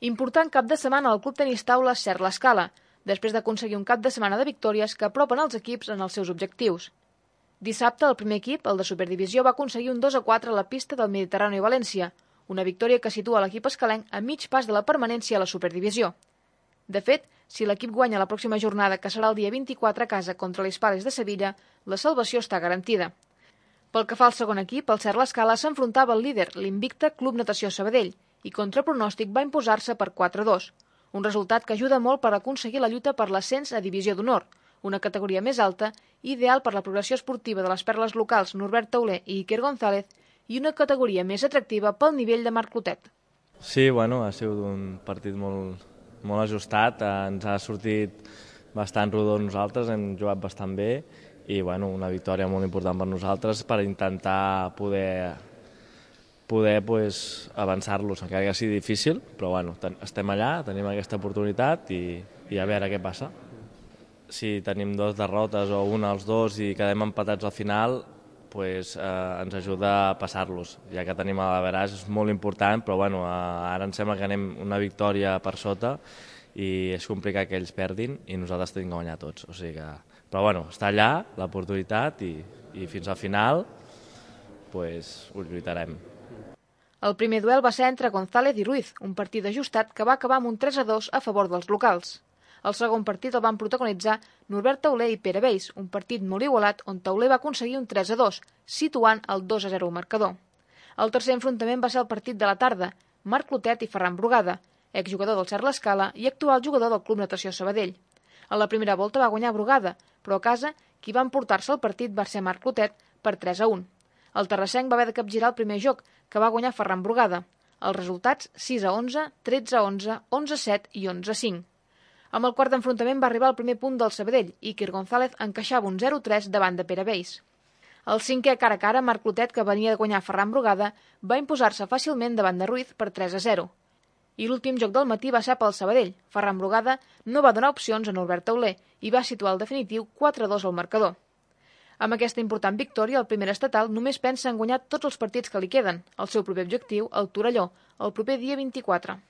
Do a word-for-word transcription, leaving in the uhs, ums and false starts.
Important cap de setmana al Club Tenis Taula Cert l'Escala, després d'aconseguir un cap de setmana de victòries que apropen els equips en els seus objectius. Dissabte, el primer equip, el de Superdivisió, va aconseguir un dos a quatre a la pista del Mediterrani i València, una victòria que situa l'equip escalenc a mig pas de la permanència a la Superdivisió. De fet, si l'equip guanya la pròxima jornada, que serà el dia vint-i-quatre a casa contra l'Hispales de Sevilla, la salvació està garantida. Pel que fa al segon equip, el Cert l'Escala s'enfrontava al líder, l'Invicta Club Natació Sabadell, i contra pronòstic va imposar-se per quatre a dos, un resultat que ajuda molt per aconseguir la lluita per l'ascens a Divisió d'Honor, una categoria més alta, ideal per la progressió esportiva de les perles locals Norbert Tauler i Iker González, i una categoria més atractiva pel nivell de Marc Clotet. Sí, bueno, ha sigut un partit molt, molt ajustat, ens ha sortit bastant rodó nosaltres, hem jugat bastant bé i bueno, una victòria molt important per nosaltres per intentar poder, poder pues, avançar-los, encara que sigui difícil, però bueno, estem allà, tenim aquesta oportunitat i, i a veure què passa. Si tenim dues derrotes o una als dos i quedem empatats al final, pues, eh, ens ajuda a passar-los, ja que tenim l'average, és molt important, però bueno, eh, ara em sembla que anem una victòria per sota i és complicat que ells perdin i nosaltres tenim que guanyar tots. O sigui que... Però bueno, està allà l'oportunitat i, i fins al final pues, ho lluitarem. El primer duel va ser entre González i Ruiz, un partit ajustat que va acabar amb un tres a dos a favor dels locals. El segon partit el van protagonitzar Norbert Tauler i Pere Beis, un partit molt igualat on Tauler va aconseguir un tres a dos, situant el dos a zero al marcador. El tercer enfrontament va ser el partit de la tarda, Marc Clotet i Ferran Brugada, exjugador del Cert l'Escala i actual jugador del Club Natació Sabadell. A la primera volta va guanyar Brugada, però a casa qui va emportar-se el partit va ser Marc Clotet per tres a un. El terrassenc va haver de capgirar el primer joc, que va guanyar Ferran Brugada. Els resultats sis a onze, tretze a onze, onze a set i onze a cinc. Amb el quart d'enfrontament va arribar el primer punt del Sabadell i Iker González encaixava un zero a tres davant de Pere Beis. El cinquè cara a cara, Marc Clotet, que venia de guanyar Ferran Brugada, va imposar-se fàcilment davant de Ruiz per tres a zero. I l'últim joc del matí va ser pel Sabadell. Ferran Brugada no va donar opcions a Norbert Tauler i va situar el definitiu quatre a dos al marcador. Amb aquesta important victòria, el primer estatal només pensa en guanyar tots els partits que li queden. El seu proper objectiu, el Torelló, el proper dia vint-i-quatre.